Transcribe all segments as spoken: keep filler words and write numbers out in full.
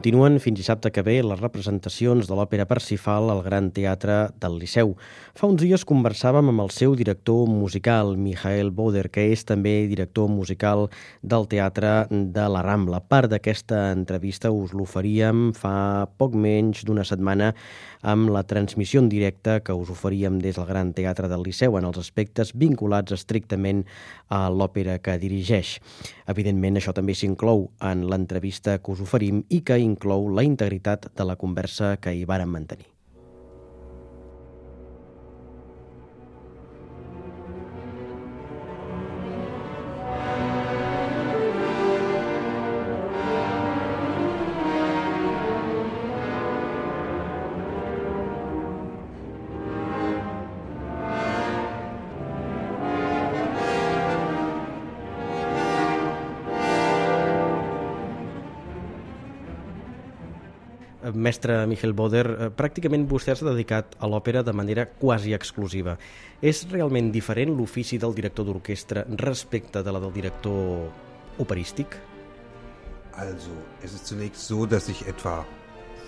Continuen fins dissabte que ve les representacions de l'òpera Parsifal al Gran Teatre del Liceu. Fa uns dies conversàvem amb el seu director musical, Michael Boder, que és també director musical del Teatre de la Rambla. Part d'aquesta entrevista us l'oferíem fa poc menys d'una setmana amb la transmissió en directe que us oferíem des del Gran Teatre del Liceu en els aspectes vinculats estrictament a l'òpera que dirigeix. Evidentment, això també s'inclou en l'entrevista que us oferim i que inclou la integritat de la conversa que hi vàrem mantenir. Mestre Michael Boder, pràcticament vostè s'ha dedicat a l'òpera de manera quasi exclusiva. És realment diferent l'ofici del director d'orquestra respecte de la del director operístic? Also, es ist zunächst so, dass ich etwa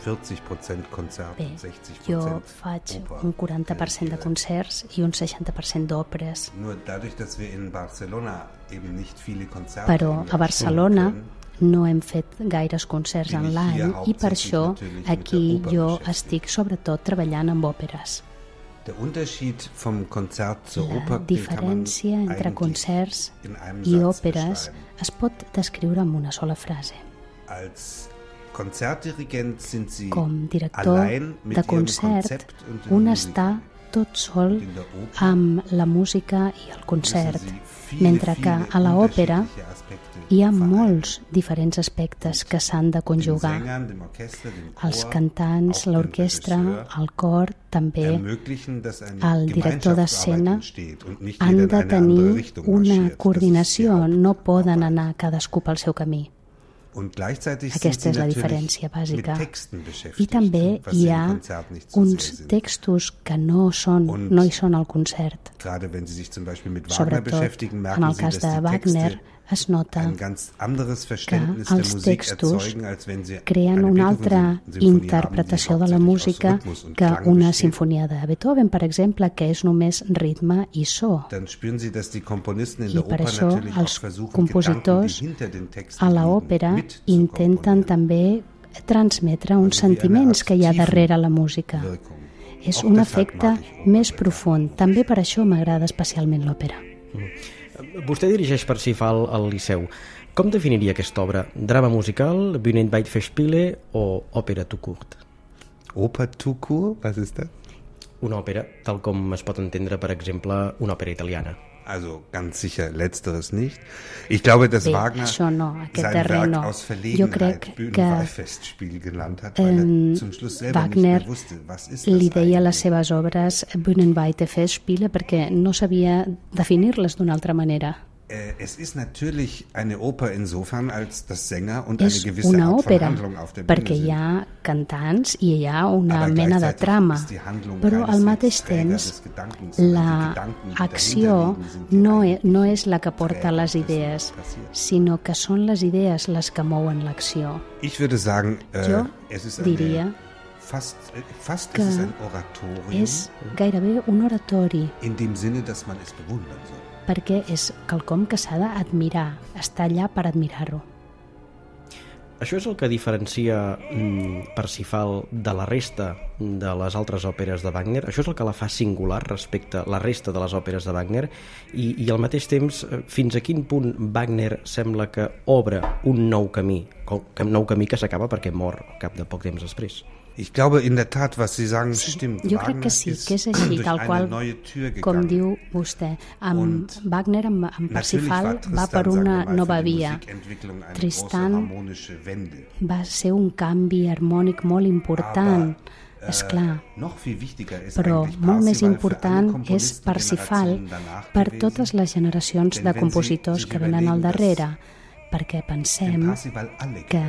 vierzig Prozent Konzert Bé, und sechzig jo Prozent faig Oper un quaranta per cent de concerts i un seixanta per cent d'òperes. Nur dadurch, dass wir in Barcelona eben nicht viele Konzerte Però a Barcelona no hem fet gaires concerts en l'any i per això aquí jo estic sobretot treballant amb òperes. La diferència entre concerts i òperes es pot descriure amb una sola frase. Com director de concert, un està tot sol amb la música i el concert, mentre que a l'òpera hi ha molts diferents aspectes que s'han de conjugar. Els cantants, l'orquestra, el cor, també el director d'escena han de tenir una coordinació, no poden anar cadascú pel seu camí. Aquesta és la diferència bàsica. I també hi ha uns textos que no, són, no hi són al concert. Sobretot en el cas de Wagner es nota que els textos creen una altra interpretació de la música que una sinfonia de Beethoven, per exemple, que és només ritme i so. I per això els compositors a l'òpera intenten també transmetre uns sentiments que hi ha darrere la música. És un efecte més profund. També per això m'agrada especialment l'òpera. Vostè dirigeix Parsifal al Liceu. Com definiria aquesta obra? Drama musical, Bühnenweitfestspiele o òpera tout court? Oper tout court? Was ist das? Una òpera, tal com es pot entendre, per exemple, una òpera italiana. Also ganz sicher letzteres nicht. Ich glaube, dass Bé, Wagner no, sein Werk no. aus Verlegenheit Bühnenweitfestspiel genannt hat, weil er zum Schluss selber Wagner nicht mehr wusste, was ist das li deia eigentlich? les seves obres Bühnenweitfestspiele perquè no sabia definir-les d'una altra manera. Es ist natürlich eine Oper insofern, als das Sänger und eine És gewisse una Art von òpera Handlung auf der perquè Bühne hi sind. ha cantants i hi ha una Aber mena de gleichzeitig trama, ist die Handlung però al keineswegs mateix Träger temps des Gedankens, sondern die Gedanken, die l'acció dahinter liegen, sind die no, e, eigentlichen no és la que porta Träger les dessen, idees, was passiert. sinó que són les idees les que mouen l'acció. Ich würde sagen, äh, Jo es ist diria eine, fast, äh, fast que ist es ein Oratorium, és gairebé un oratori, in dem Sinne, dass man es bewundern soll. perquè és quelcom que s'ha d'admirar, està allà per admirar-ho. Això és el que diferencia mm, Parsifal de la resta de les altres òperes de Wagner? Això és el que la fa singular respecte a la resta de les òperes de Wagner? I, i al mateix temps, fins a quin punt Wagner sembla que obre un nou camí, un nou camí que s'acaba perquè mor al cap de poc temps després? Ich glaube in der Tat, was Sie sagen, stimmt. Jo crec que sí, que és així, tal qual, com diu vostè. Amb Wagner, amb, amb Parsifal, va per una nova via. Tristan va ser un canvi harmònic molt important, és clar. Però molt més important és Parsifal per totes les generacions de compositors que venen al darrere, perquè pensem que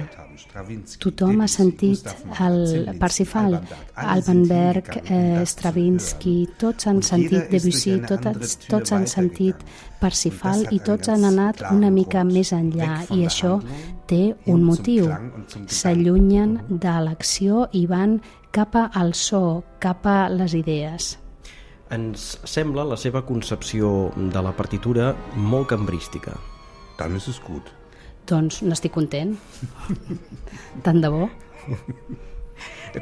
tothom ha sentit el Parsifal, Alban Berg, eh, Stravinsky, tots han sentit Debussy, tots, tots han sentit Parsifal i tots han anat una mica més enllà i això té un motiu. S'allunyen de l'acció i van cap al so, cap a les idees. Ens sembla la seva concepció de la partitura molt cambrística. Dann ist es gut. Doncs n'estic content. Tant de bo.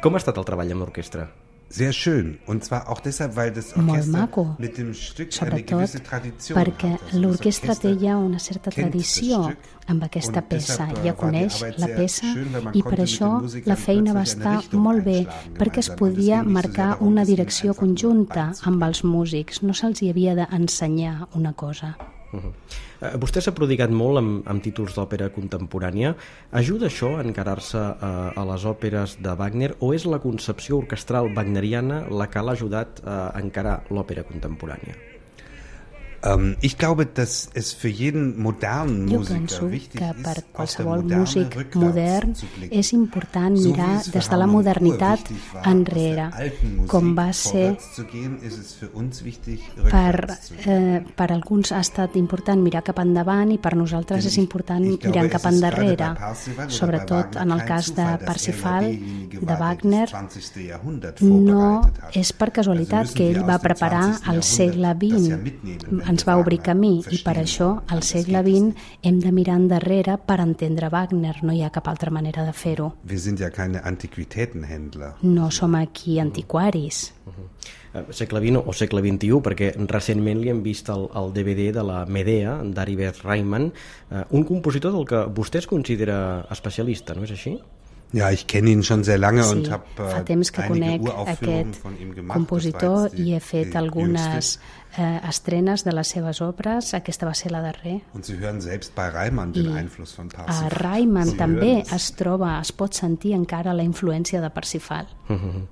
Com ha estat el treball amb l'orquestra? Sehr schön, und zwar auch deshalb, weil das Orchester mit dem Stück eine gewisse Tradition hat. Perquè l'orquestra té ja una certa tradició amb aquesta peça, ja coneix la peça i per això la feina va estar molt bé, perquè es podia marcar una direcció conjunta amb els músics, no se'ls hi havia d'ensenyar una cosa. Uh-huh. Uh, vostè s'ha prodigat molt amb, amb títols d'òpera contemporània. Ajuda això a encarar-se a, a les òperes de Wagner o és la concepció orquestral wagneriana la que l'ha ajudat a encarar l'òpera contemporània? Um, ich glaube, dass es für jeden modernen Musiker wichtig ist, per qualsevol músic modern és important mirar des de la modernitat enrere, com va ser per, eh, per alguns ha estat important mirar cap endavant i per nosaltres és important mirar cap endarrere, sobretot en el cas de Parsifal, de Wagner. No és per casualitat que ell va preparar el segle vint, ens va obrir camí i per això al segle vint hem de mirar endarrere per entendre Wagner, no hi ha cap altra manera de fer-ho. No som aquí antiquaris. Uh-huh. Segle vint o segle vint-i-u, perquè recentment li hem vist el, el D V D de la Medea d'Aribert Reimann, uh, un compositor del que vostè es considera especialista, no és així? Ja, ich kenne ihn schon sehr lange sí, und habe fa temps que conec aquest compositor i he fet algunes eh, estrenes de les seves obres. Aquesta va ser la darrera. Und Sie hören selbst bei Reimann den Einfluss von Parsifal. A Reimann Sie també es troba, es pot sentir encara la influència de Parsifal. Uh-huh.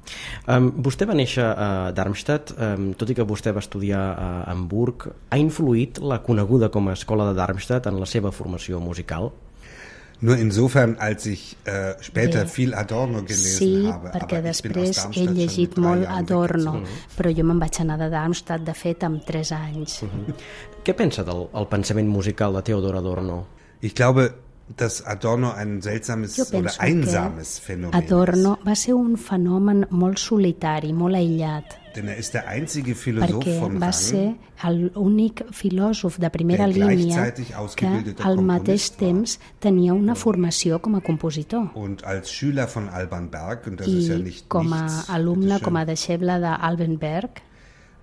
um, vostè va néixer a Darmstadt, um, tot i que vostè va estudiar a Hamburg. Ha influït la coneguda com a escola de Darmstadt en la seva formació musical? Nur insofern, als ich äh, später Bé, viel Adorno gelesen sí, habe. Sí, perquè després he llegit molt Adorno, uh-huh. però jo me'n vaig anar de Darmstadt, de fet, amb tres anys. Uh-huh. Què pensa del el pensament musical de Theodor Adorno? Ich glaube, dass Adorno ein seltsames oder einsames Phänomen Adorno va ser un fenomen molt solitari, molt aïllat. Denn er ist der einzige Philosoph von va Rang, ser l'únic filòsof de primera línia que al mateix temps tenia una formació com a compositor. Und als Schüler von Alban Berg, und das I ist ja nicht com a nichts, alumne, com a deixeble d'Alban Berg,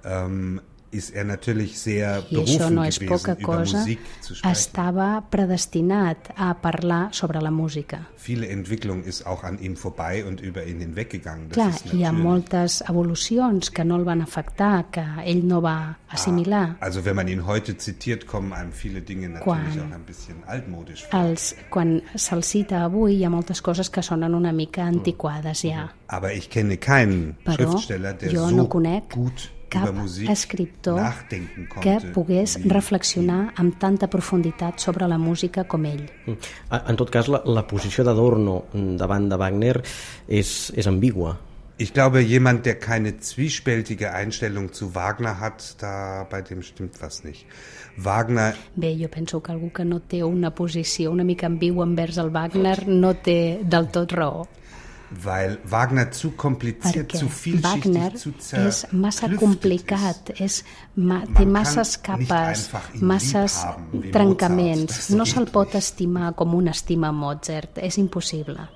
ähm, ist er natürlich sehr I això berufen no és gewesen, poca über cosa, Musik zu sprechen. estava predestinat a parlar sobre la música. Viele Entwicklung ist auch an ihm vorbei und über ihn hinweggegangen. Das Clar, ist hi ha natürlich. moltes evolucions que no el van afectar, que ell no va assimilar. Ah, also wenn man ihn heute zitiert, kommen einem viele Dinge natürlich Quan auch ein bisschen altmodisch vor. Els, quan se'l cita avui hi ha moltes coses que sonen una mica antiquades ja. Aber ich kenne keinen Però Schriftsteller, der jo so no conec gut cap über Musik escriptor nachdenken que konnte, pogués wie- reflexionar amb tanta profunditat sobre la música com ell. En tot cas, la, la posició d'Adorno davant de Wagner és, és ambigua. Ich glaube, jemand, der keine zwiespältige Einstellung zu Wagner hat, da bei dem stimmt was nicht. Wagner Bé, jo penso que algú que no té una posició una mica ambigua envers el Wagner no té del tot raó. Weil Wagner zu kompliziert, Perquè zu vielschichtig, Wagner zu és massa zerklüftet complicat, ist. és, ma, Man té kann masses nicht capes, einfach ihn masses lieb haben, wie trencaments. Mozart. Das No geht se'l pot nicht. estimar com un estima Mozart, és impossible.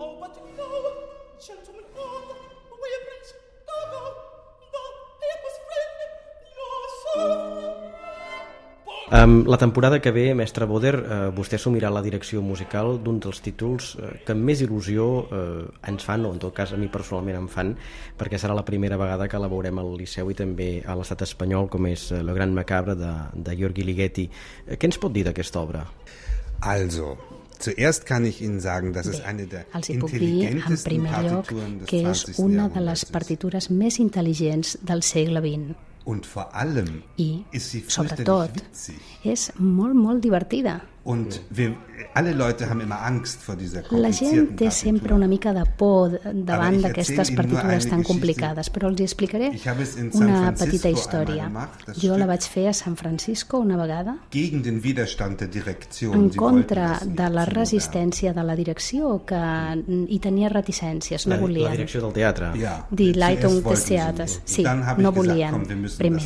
Oh, but no, gentlemen, on, we prince, go, go, the paper's friend, your son. Um, la temporada que ve, mestre Boder, uh, vostè assumirà la direcció musical d'un dels títols uh, que amb més il·lusió uh, ens fan, o en tot cas a mi personalment em fan, perquè serà la primera vegada que la veurem al Liceu i també a l'estat espanyol, com és uh, Le Grand Macabre de, de György Ligeti. Uh, què ens pot dir d'aquesta obra? Also, zuerst kann ich Ihnen sagen, dass es Bé, eine der els hi puc dir, en intelligentesten primer lloc, Partituren des que és zwanzigsten una de les Jahrhunderts ist. partitures més intel·ligents del segle vint. Und vor allem I, ist sie sobretot, fürchterlich witzig. és molt, molt divertida. Und wir, alle Leute haben immer Angst vor dieser La gent té sempre una mica de por davant d'aquestes partitures tan complicades, però els explicaré una petita història. Jo la vaig fer a San Francisco una vegada en contra de la resistència de la direcció, que hi tenia reticències, no volien. La direcció del teatre. Die Leitung des Theaters. Sí, no volien, primer.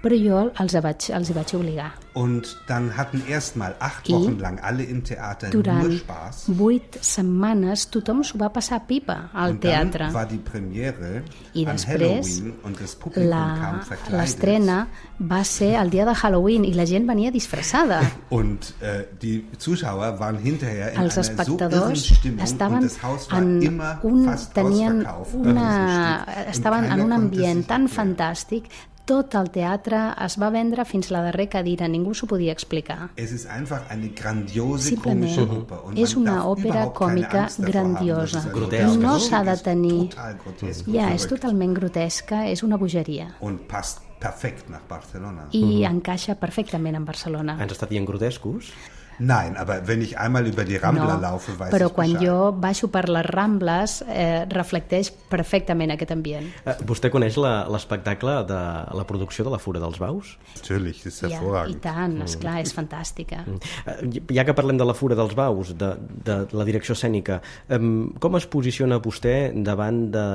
Però jo els vaig, els hi vaig obligar. Und dann hatten erstmal acht Wochen lang alle im Theater nur Spaß. Vuit setmanes tothom s'ho va passar pipa al teatre. Und dann war die Premiere I an després Halloween und das Publikum kam verkleidet. L'estrena va ser el dia de Halloween i la gent venia disfressada. Und äh, die Zuschauer waren hinterher in Els einer so irren espectadors Stimmung und das Haus war en immer un, fast tenien ausverkauft. una, estaven en un ambient tan erklären. fantàstic. Tot el teatre es va vendre fins la darrera cadira, ningú s'ho podia explicar. Es ist einfach eine grandiose Simplement komische Oper. Und és man una darf òpera überhaupt keine còmica Angst davor grandiosa. haben, Grotesca. No s'ha de tenir... Total grotesk. Ja, és verrückt. totalment grotesca, és una bogeria. Und passt perfekt nach Barcelona. I encaixa perfectament en Barcelona. Ens està dient grotescos? Nein, aber wenn ich einmal über die Rambla No, laufe, weiß però ich quan Bescheid. jo baixo per les Rambles eh, reflecteix perfectament aquest ambient. Eh, vostè coneix la- l'espectacle de la producció de la Fura dels Baus? Natürlich, das ist Ja, I hervorragend. tant, esclar, és fantàstica. Eh, Ja que parlem de la Fura dels Baus, de, de la direcció escènica, em, com es posiciona vostè davant de,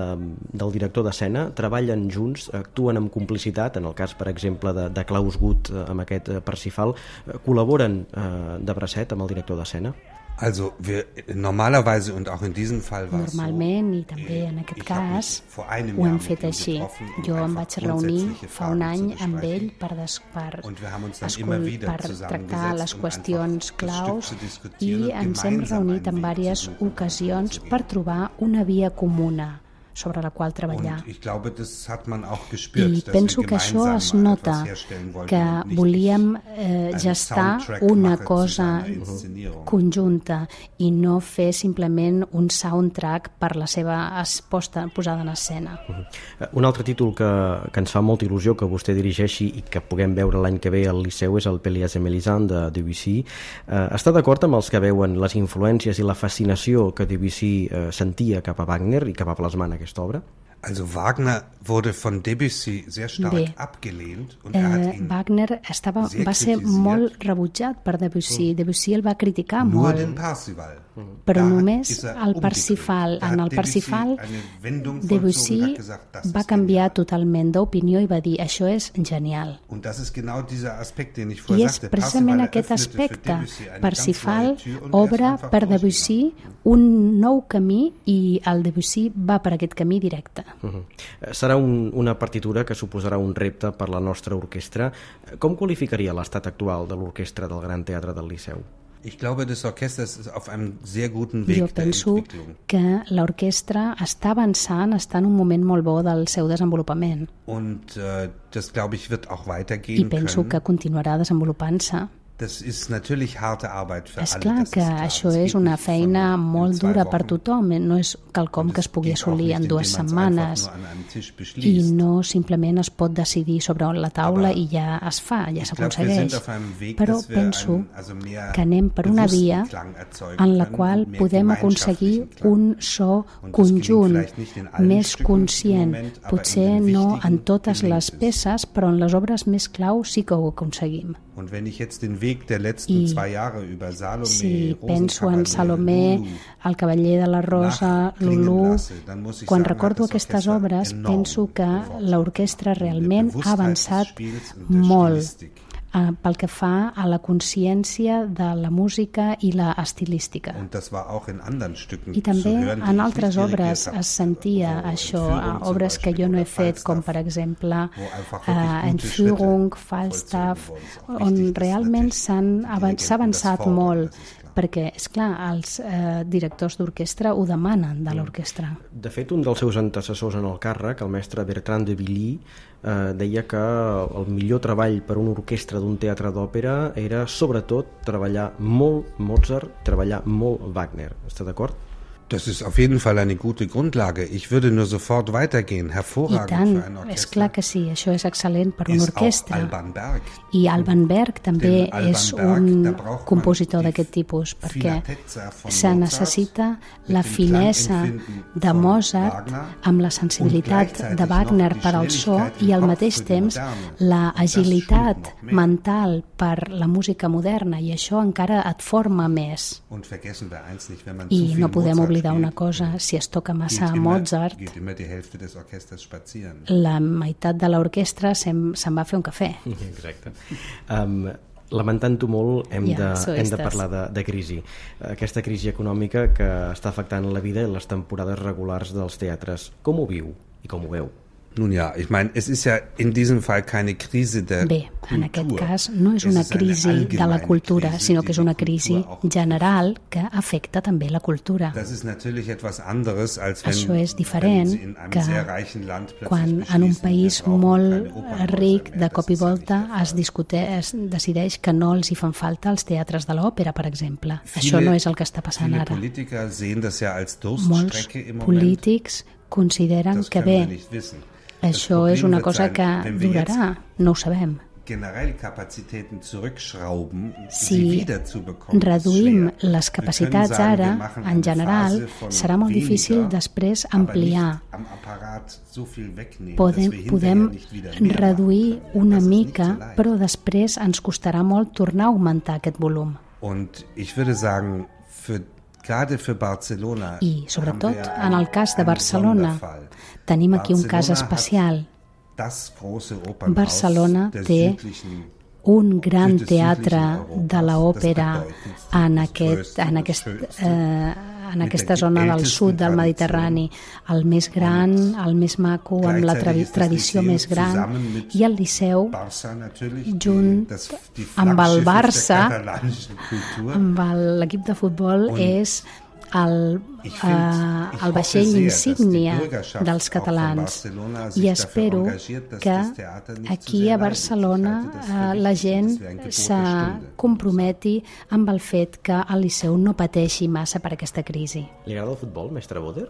del director d'escena? Treballen junts, actuen amb complicitat, en el cas, per exemple, de, de Klaus Guth eh, amb aquest eh, Parsifal, eh, col·laboren eh, de bracet amb el director d'escena? Also wir normalerweise und auch in diesem Fall war es Normalment, i so, també en aquest ich hab mich cas, vor einem ho Jahr hem mit fet ihm així. getroffen, um Jo em einfach vaig reunir grundsätzliche fa un Fragen any zu amb besprechen. ell per, des, per, Und wir haben uns dann escull, immer wieder per tractar zusammengesetzt, les um qüestions einfach das claus Stück zu diskutieren i und ens hem gemeinsam reunit en einen Weg diverses zu suchen, ocasions vorzugehen. per trobar una via comuna sobre la qual treballar. Und ich glaube, das hat man auch gespürt, I dass penso wir que això gemeinsam es nota, etwas herstellen wollten que und nicht volíem ich eh, einen gestar Soundtrack una mache zu cosa seiner Inszenierung. conjunta i no fer simplement un soundtrack per la seva es- posta, posada en escena. Eh, Un altre títol que, que ens fa molta il·lusió que vostè dirigeixi i que puguem veure l'any que ve al Liceu és el Pélias et Mélisande de Debussy. Eh, està d'acord amb els que veuen les influències i la fascinació que Debussy eh, sentia cap a Wagner i que va plasmar en aquesta obra? Also Wagner wurde von Debussy sehr stark Bé. abgelehnt und er hat Eh, ihn Wagner estava, sehr va ser kritisiert. molt rebutjat per Debussy. Debussy el va criticar nur den molt. Parsival. Però Da només ist er el umgedreht. Parsifal. Da En hat el Debussy Parsifal, eine Wendung vollzogen und Debussy hat gesagt, das va ist canviar genial. totalment d'opinió i va dir això és genial. Und das ist genau dieser Aspekt, den ich I vorher és sagte. precisament Parsifal aquest eröffnete für aspecte. Debussy eine ganz Parsifal neue Tür und er ist obre einfach per durchgegangen. Debussy un nou camí i el Debussy va per aquest camí directe. Uh -huh. Serà un, una partitura que suposarà un repte per la nostra orquestra. Com qualificaria l'estat actual de l'orquestra del Gran Teatre del Liceu? Ich glaube, das Orchester ist auf einem sehr guten Weg Jo der penso Entwicklung. que l'orquestra està avançant, està en un moment molt bo del seu desenvolupament Und äh, das, glaube ich, wird auch i weitergehen penso können. que continuarà desenvolupant-se. Das ist natürlich harte Arbeit für És alle. clar das que ist klar. això Das és geht una nicht von feina in molt zwei dura per Wochen. tothom, no és quelcom Und que es es pugui geht auch assolir nicht, en dues indem man's setmanes einfach nur an einem Tisch i beschließt. no simplement es pot decidir sobre la taula Aber i ja es fa, ja Ich glaube, wir s'aconsegueix. sind auf einem Weg, Però dass wir penso einen, also mehr que anem per una bewussten via Klang erzeugen en la können qual und mehr podem aconseguir gemeinschaftlichen Klang. un so Und das gelingt conjunt, vielleicht nicht in allen més Stücken im conscient. Moment, aber Potser in den no en wichtigen totes gelingt les es. peces, però en les obres més clau sí que ho aconseguim. Und wenn ich jetzt den Weg der letzten I zwei Jahre über Salome, si penso en Rosenkavalier, Salomé, Lulu, el cavaller de la Rosa, nachklingen Lulú, lasse, dann muss ich quan sagen, recordo hat das aquestes Orchester obres enorm penso que geworden. l'orquestra In der realment ha Bewusstheit avançat des Spiels und der molt Stilistik. eh, pel que fa a la consciència de la música i la estilística. Und das war auch in anderen Stücken I també zu hören, die en ich altres nicht obres dirigiert es sentia habe, wo això, Entführung a zum obres que Beispiel jo no he oder fet, com per Falstaff, exemple wo einfach eh, wirklich gute Entführung, Schritte Falstaff, vollzogen worden sind. on Wichtig ist realment natürlich, s'han die avan- Dirigenten s'ha avançat das fordern, molt, das ist klar. perquè, és clar, els eh, directors d'orquestra ho demanen de l'orquestra. De fet, un dels seus antecessors en el càrrec, el mestre Bertrand de Billy, eh, deia que el millor treball per una orquestra d'un teatre d'òpera era, sobretot, treballar molt Mozart, treballar molt Wagner. Està d'acord? Das ist auf jeden Fall eine gute Grundlage. Ich würde nur sofort weitergehen. Hervorragend tant, für ein Orchester. És clar que sí, això és excel·lent per una orquestra. Alban Berg. I Alban Berg també Alban és Berg, un compositor d'aquest tipus, perquè se necessita la finesa de Mozart amb la sensibilitat de Wagner per al so i al mateix temps la agilitat mental per la música moderna, i això encara et forma més. I no podem oblidar una cosa, si es toca massa a Mozart, la meitat de l'orquestra se'n se va fer un cafè. Exacte. Um, lamentant-ho molt, hem, ja, de, hem de parlar de, de crisi. Aquesta crisi econòmica que està afectant la vida i les temporades regulars dels teatres. Com ho viu i com ho veu? Nun ja, ich meine, es ist ja in diesem Fall keine Krise der Bé, en aquest cas no és una crisi de la cultura, sinó que és una crisi general que afecta també la cultura. Això és diferent que quan en un país molt ric de cop i volta es, discute, es decideix que no els hi fan falta els teatres de l'òpera, per exemple. Això no és el que està passant ara. Molts polítics consideren que bé, això és una cosa que durarà, no ho sabem. Si reduïm les capacitats ara, en general, serà molt difícil després ampliar. Podem, podem reduir una mica, però després ens costarà molt tornar a augmentar aquest volum. I, sobretot, en el cas de Barcelona, tenim aquí un cas especial. Barcelona té un gran teatre de l'òpera en, aquest, en, aquest, eh, en aquesta zona del sud del Mediterrani, el més gran, el més maco, amb la tra tradició més gran, i el Liceu, junt amb el Barça, amb l'equip de futbol, és el, eh, el vaixell insígnia dels catalans, i espero que aquí a Barcelona eh, la gent se comprometi amb el fet que el Liceu no pateixi massa per aquesta crisi. Li agrada el futbol, mestre Boder?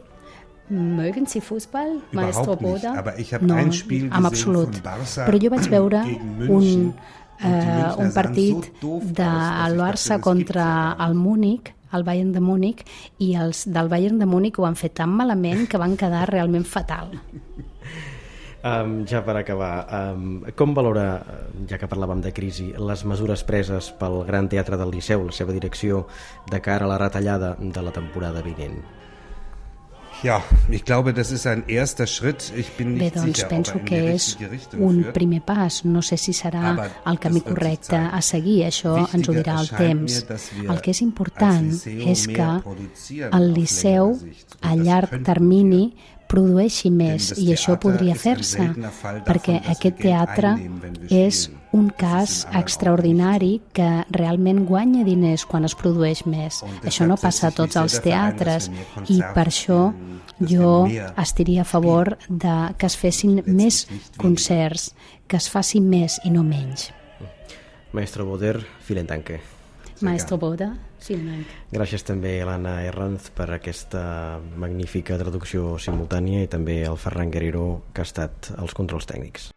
Mögen Sie Fußball, Maestro Boder? No, en absolut. Però jo vaig veure un, eh, un partit del Barça contra el Múnich, el Bayern de Múnich, i els del Bayern de Múnich ho van fer tan malament que van quedar realment fatal. Um, ja per acabar, um, com valora, ja que parlàvem de crisi, les mesures preses pel Gran Teatre del Liceu, la seva direcció, de cara a la retallada de la temporada vinent? Ja, ich glaube, das ist ein erster Schritt. Ich bin nicht Bé, doncs sicher, penso ob er in que die és richtige Richtung un führt. primer pas. No sé si serà el camí correcte a seguir, això ens ho dirà el temps. El que és important és que el Liceu a llarg termini produeixi més, i això podria fer-se, perquè aquest teatre és un cas extraordinari que realment guanya diners quan es produeix més. Això no passa a tots els teatres, i per això jo estaria a favor de que es fessin més concerts, que es faci més i no menys. Maestro Boder, vielen Dank. Maestro Boder, vielen Dank. Gràcies també a l'Anna Herranz per aquesta magnífica traducció simultània, i també al Ferran Guerrero, que ha estat als controls tècnics.